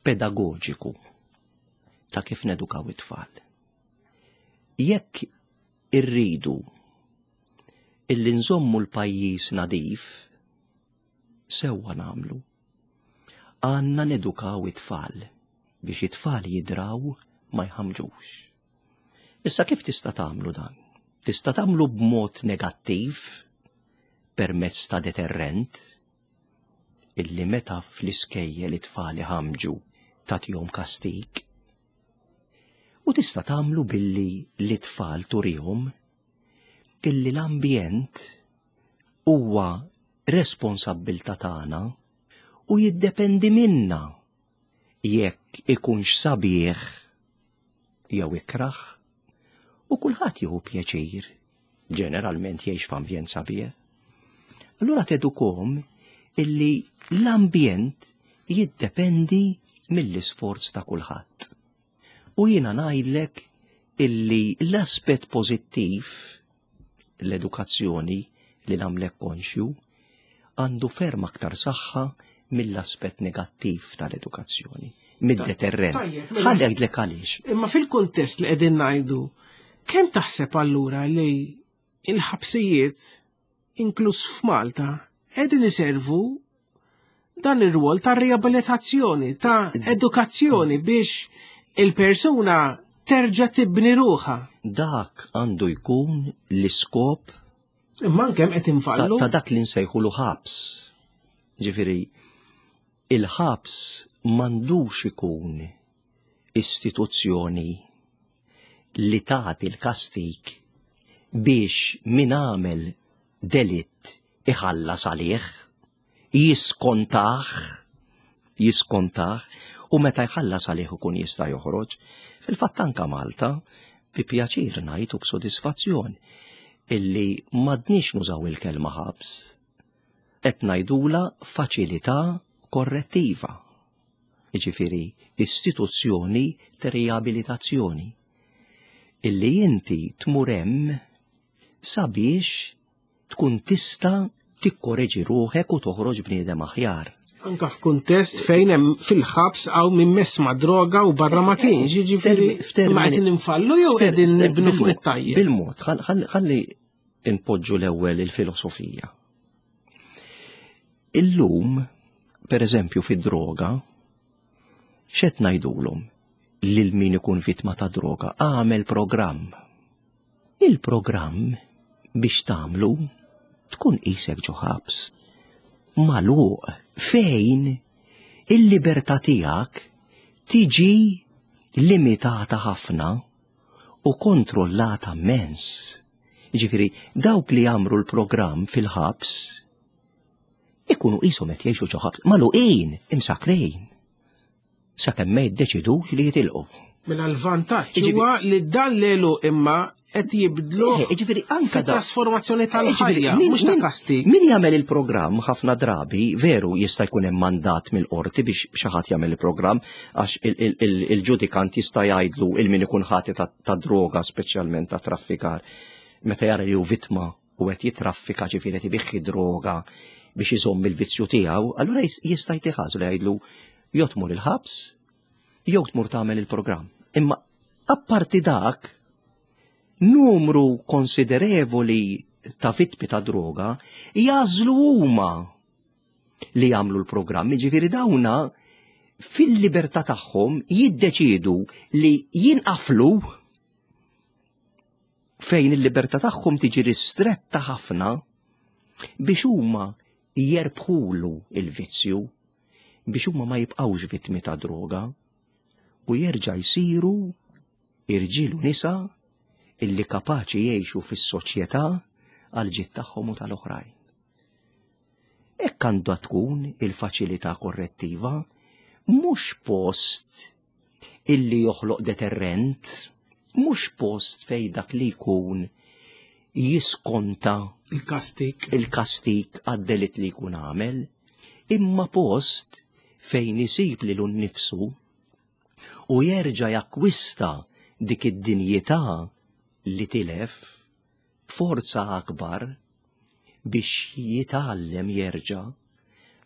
pedagoġiku ta' kif nedukaw it-tfal. Jekk irridu illi nżommu l-pajjiż nadif, sewwa nagħmlu. Għandna nedukaw it-tfal biex it-tfal jidraw ma jħamġux. Issa kif tista' tagħmlu dan? Tista' tagħmlu b'mod negattiv permezz ta' deterrent illi meta fl-iskejjel it-tfal iħamġu tagħtihom kastik. U tista' tagħmlu billi l-tfal turihom illi l-ambjent huwa responsabbiltà tagħna u jiddependi minna jekk ikunx sabiħ jew ikrah, u kulħadd jieħu pjaċir, ġeneralment jgħix f'ambjent sabiħ. Allura tedukom illi l-ambjent jiddependi mill-isforz ta' kulħadd. U jiena ngħidlek illi l-aspett pożittiv l-edukazzjoni li nagħmlek konxju għandu ferm aktar saħħa mill-aspett negattiv tal-edukazzjoni, mid-deterrent. Tajjeb, mela- Ħalli ngħidlek għaliex. Imma fil-kuntest li qegħdin ngħidu, kemm taħseb allura li il-ħabsijiet inkluż f'Malta qegħdin iservu dan ir-rwol ta' riabilitazzjoni, ta' edukazzjoni biex il-persuna terġa' tibni ruħha. Dak għandu jkun l-iskop Imma anke qed ta', infallu. ta' dak li nsejħulu ħabs. Ġifieri, il-ħabs m'għandux ikun istituzzjoni li tagħti l-kastik biex min għamel delitt iħallas għalih, jiskontah, jiskontah, u meta jħallas għalih ikun jista' joħroġ. Fil-fatt anka Malta, bi pjaċir ngħid u b'sodisfazzjon, illi m'għadniex nużaw il-kelma ħabs, qed ngħidula faċilità korrettiva. Jiġifieri istituzzjoni ta' riabilitazzjoni illi inti tmur hemm sabiex tkun tista' tikkoreġi ruħek u toħroġ bniedem aħjar. Anka f'kuntest fejn hemm fil-ħabs hawn min mess ma' droga u barra ma kienx, jiġifieri F'termini- ma qed ninfallu jew f'ter- qegħdin nibnu fuq bil-mod- it-tajjeb. Bil-mod, ħall- ħalli ħalli npoġġu l-ewwel il-filosofija. Illum, per eżempju, fid-droga, x'qed ngħidulhom lil min ikun vittma ta' droga, għamel programm. Il-programm biex tagħmlu tkun qisek ġo ħabs. Magħluq fejn il-libertà tiegħek tiġi limitata ħafna u kontrollata immens. Ġifieri, dawk li jagħmlu l-programm fil-ħabs ikunu qishom qed jgħixu ġo ħabs, magħluqin, imsakrin. Sakemm ma jiddeċidux li jitilqu. Mela l-vantaġġ Jiġifieri- huwa li dan lelu imma qed jibdlu Eh, Jiġifieri anka da- trasformazzjoni Eh, ġifieri, tal-ħajja, min- mhux ta' min- kastig. Min jagħmel il-programm ħafna drabi, veru jista' jkun hemm mandat mill-qorti biex xi ħadd jagħmel il-programm għax il- il- il- il-ġudikant jista' jgħidlu il min ikun ħati ta' ta' droga speċjalment ta' traffikar. Meta jara li hu vittma u qed jitraffika ġifieri qed ibiħħi droga biex iżomm il-vizzju tiegħu, allura jis- jista' jtiħażu li jgħidlu jew tmur il-ħabs jew tmur tagħmel il-programm. Imma apparti dak, numru konsiderevoli ta' vittmi ta' droga jagħżlu huma li jagħmlu l-programm, ġifieri dawna fil-libertà tagħhom jiddeċidu li jinqaflu fejn il-libertà tagħhom tiġi ristretta ħafna biex huma jerbħulu il-vizzju biex huma ma jibqgħux vittmi ta' droga u jerġa' jsiru irġiel u nisa illi kapaċi jgħixu fis-soċjetà għal ġid tagħhom u tal-oħrajn. Hekk għandha tkun il-faċilità korrettiva, mhux post illi joħloq deterrent, mhux post fej dak li jkun jiskonta Il-kastik. il-kastik għad-delitt li jkun għamel, imma post fejn isib lilu nnifsu u jerġa' jakkwista dik id-dinjità li tilef b'forza akbar biex jitgħallem jerġa'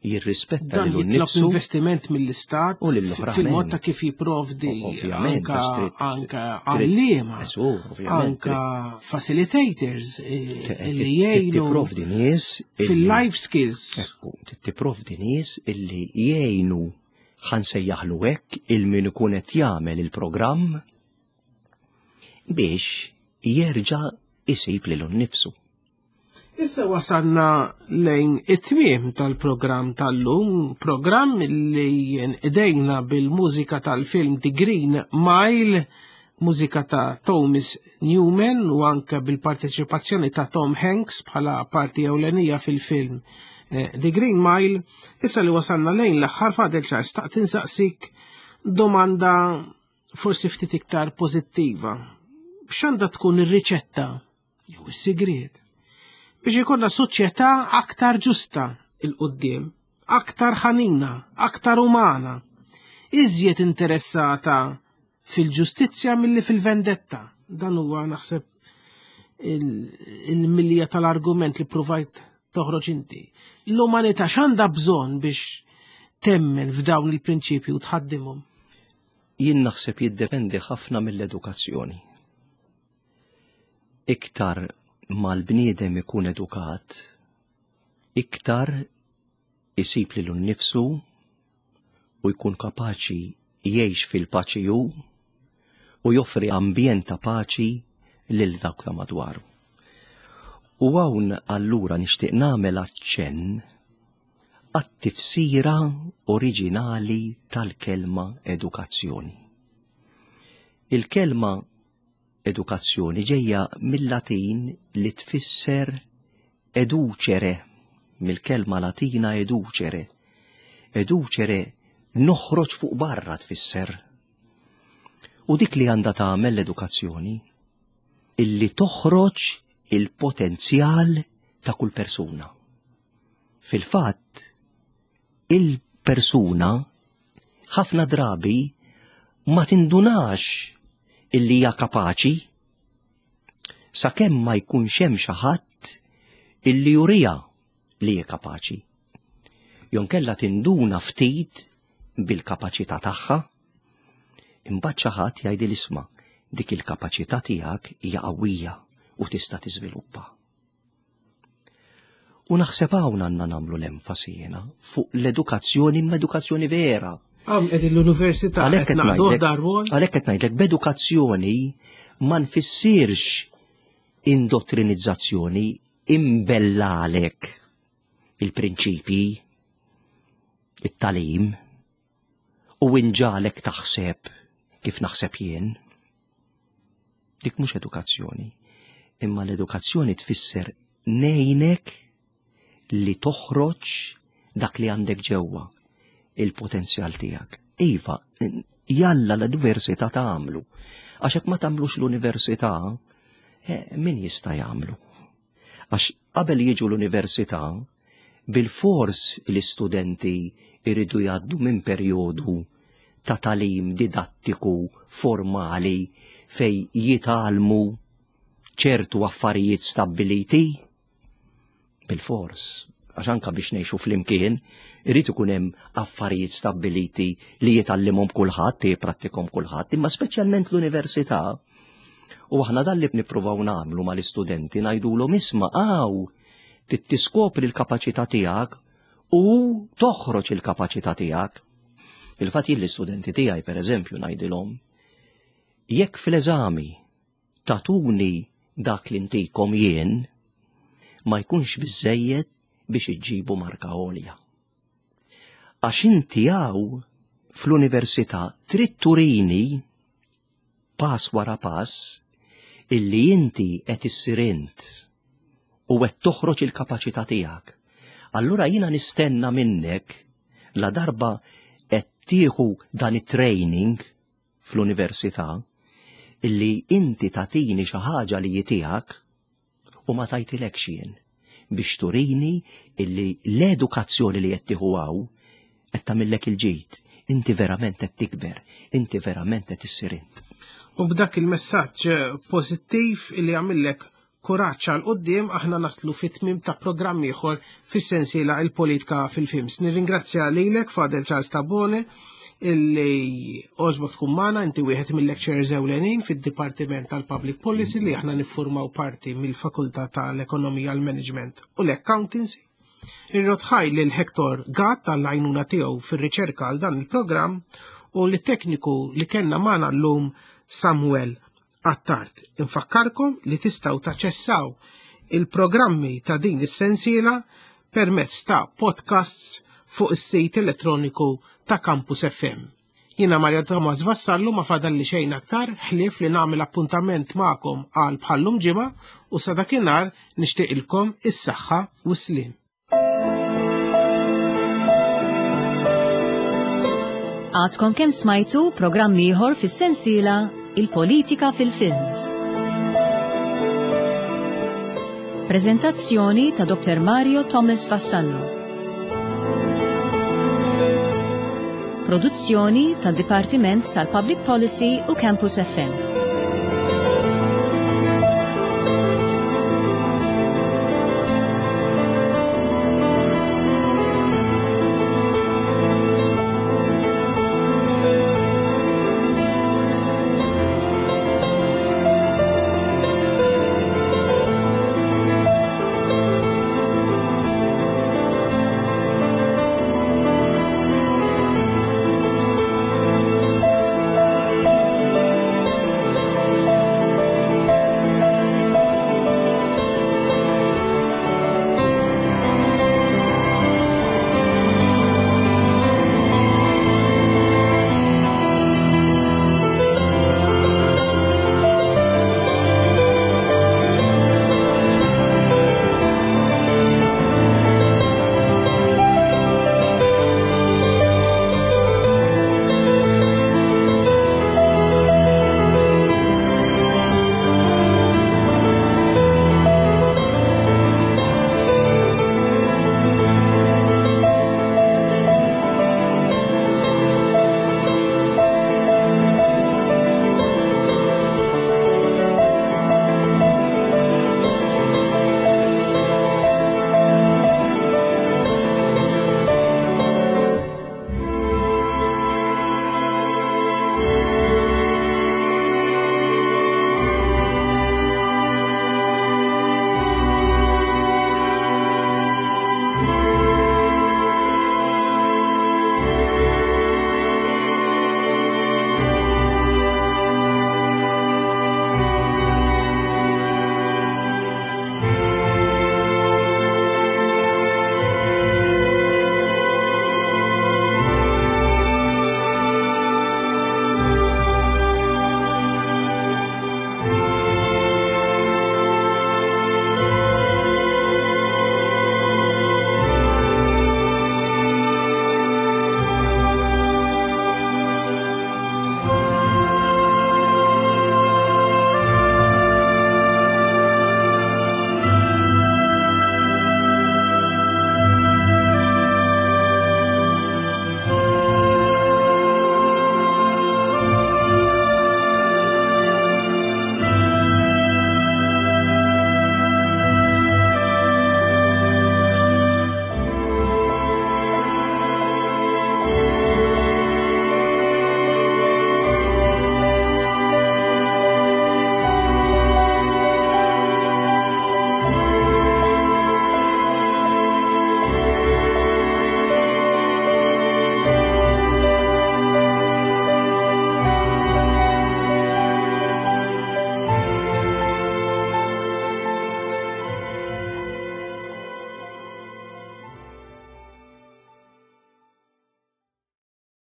jirrispetta Dan lilu jitlob nnifsu investiment mill-istat u lill-oħrajn. fil-mod ta' kif jipprovdi Ovvjament, anka għax trid- anka trid- għalliema, Esu, ovvjament, anka facilitators eh, li trid jgħinu tipprovdi nies illi- fil-life skills. Ekku, tipprovdi nies illi jgħinu ħa nsejjaħlu hekk il-min ikun qed jagħmel il-programm biex jerġa' isib lilu nnifsu. Issa wasalna lejn it-tmiem tal-programm tal-lum, programm li idejna bil-mużika tal-film The Green Mile, mużika ta' Thomas Newman u anke bil-parteċipazzjoni ta' Tom Hanks bħala parti ewlenija fil-film eh, The Green Mile. Issa li wasalna lejn l-aħħar fadel ċar staqt insaqsik domanda forsi ftit iktar pożittiva. X'għandha tkun ir-riċetta jew is-sigriet biex ikollna soċjetà aktar ġusta 'il quddiem, aktar ħanina, aktar umana, iżjed interessata fil-ġustizzja milli fil-vendetta. Dan huwa naħseb il-milja tal-argument li provajt toħroġ inti. L-umanità x'għandha bżonn biex temmen f'dawn il-prinċipji u tħaddimhom? Jien naħseb jiddependi ħafna mill-edukazzjoni. Iktar ma l-bniedem ikun edukat, iktar isib lilu nnifsu u jkun kapaċi jgħix fil-paċi hu u joffri ambjent ta' paċi lil dawk ta' madwaru. U hawn allura nixtieq nagħmel aċċenn għat-tifsira oriġinali tal-kelma edukazzjoni. Il-kelma edukazzjoni ġejja mill-Latin li tfisser educere, mill-kelma Latina educere. Educere noħroġ fuq barra tfisser. U dik li għandha tagħmel l-edukazzjoni, illi toħroġ il-potenzjal ta' kull persuna. Fil-fatt, il-persuna ħafna drabi ma tindunax illi hija kapaċi sakemm ma jkunx hemm xi ħadd illi juriha li hija kapaċi. Jonkella tinduna ftit bil-kapaċità tagħha, imbagħad xi ħadd jgħidil isma' dik il-kapaċità tiegħek hija qawwija u tista' tiżviluppa. U naħseb hawn għandna nagħmlu l-enfasi jiena fuq l-edukazzjoni, imma edukazzjoni vera. Għam qegħdin l-università Għalhekk qed qed naqduh ngħidlek- darwol. Għalhekk qed ngħidlek b'edukazzjoni ma nfissirx indottrinizzazzjoni, imbellalek il-prinċipji, it-talim, u inġalek taħseb kif naħseb jien. Dik mhux edukazzjoni, imma l-edukazzjoni tfisser nejnek li toħroġ dak li għandek ġewwa, il-potenzjal tiegħek. Iva, jalla l-università tagħmlu. Għax hekk ma tagħmlux l-università, eh, min jista' jagħmlu? Għax qabel jiġu l-università, bil-fors l-istudenti iridu jgħaddu minn perjodu ta' talim didattiku formali fej jitgħallmu ċertu affarijiet stabbiliti bil-fors. Għax anka biex ngħixu flimkien, irid ikun hemm affarijiet stabbiliti li jitgħallimhom kulħadd, jipprattikhom kulħadd, imma speċjalment l-università. U aħna dan li nippruvaw nagħmlu mal-istudenti ngħidulhom isma' hawn tiskopri l-kapaċità tiegħek u toħroġ il-kapaċità tiegħek. Il-fatt jien l-istudenti tiegħi pereżempju ngħidilhom, jekk fl-eżami tatuni dak li ntikom jien, ma jkunx biżejjed biex iġġibu marka għolja. Għax inti hawn fl-università trid turini pass wara pass illi inti qed issir int u qed toħroġ il-kapaċità tiegħek. Allura jiena nistenna minnek la darba qed tieħu dan it-training fl-università illi inti tatini xi ħaġa li tiegħek u ma tajtilekx jien biex turini illi l-edukazzjoni li qed tieħu hawn qed tagħmillek il-ġid. Inti verament qed tikber, inti verament qed issir int. U b'dak il-messaġġ pożittiv illi għamillek kuraġġ għal quddiem aħna naslu fit-tmiem ta' programm ieħor fis-sensiela il-politika fil-films. Nirringrazzja lilek Father Charles Tabone illi għoġbok tkun magħna, inti wieħed mill-lecturers ewlenin fid-Dipartiment tal-Public Policy li aħna niffurmaw parti mill-Fakultà tal-Ekonomija, l-Management u l-Accountancy. Irrodd ħajr lil Hector Gatt tal-għajnuna tiegħu fir-riċerka għal dan il-programm u lit-tekniku li kellna magħna llum Samuel Attard. Infakkarkom li tistgħu taċċessaw il-programmi ta' din is-sensiela permezz ta' podcasts fuq is-sit elettroniku ta' Campus F M. Jiena Mario Thomas Vassallo ma fadalli xejn aktar ħlief li nagħmel appuntament magħkom għal bħallum ġimgħa u sa dakinhar nixtieqilkom is-saħħa u s-sliem. Għadkom kemm smajtu programm ieħor fis-sensiela Il-Politika fil-Films. Prezentazzjoni ta' Doktor Mario Thomas Vassallo. Produzzjoni tad Dipartiment tal-Public Policy u Campus F M.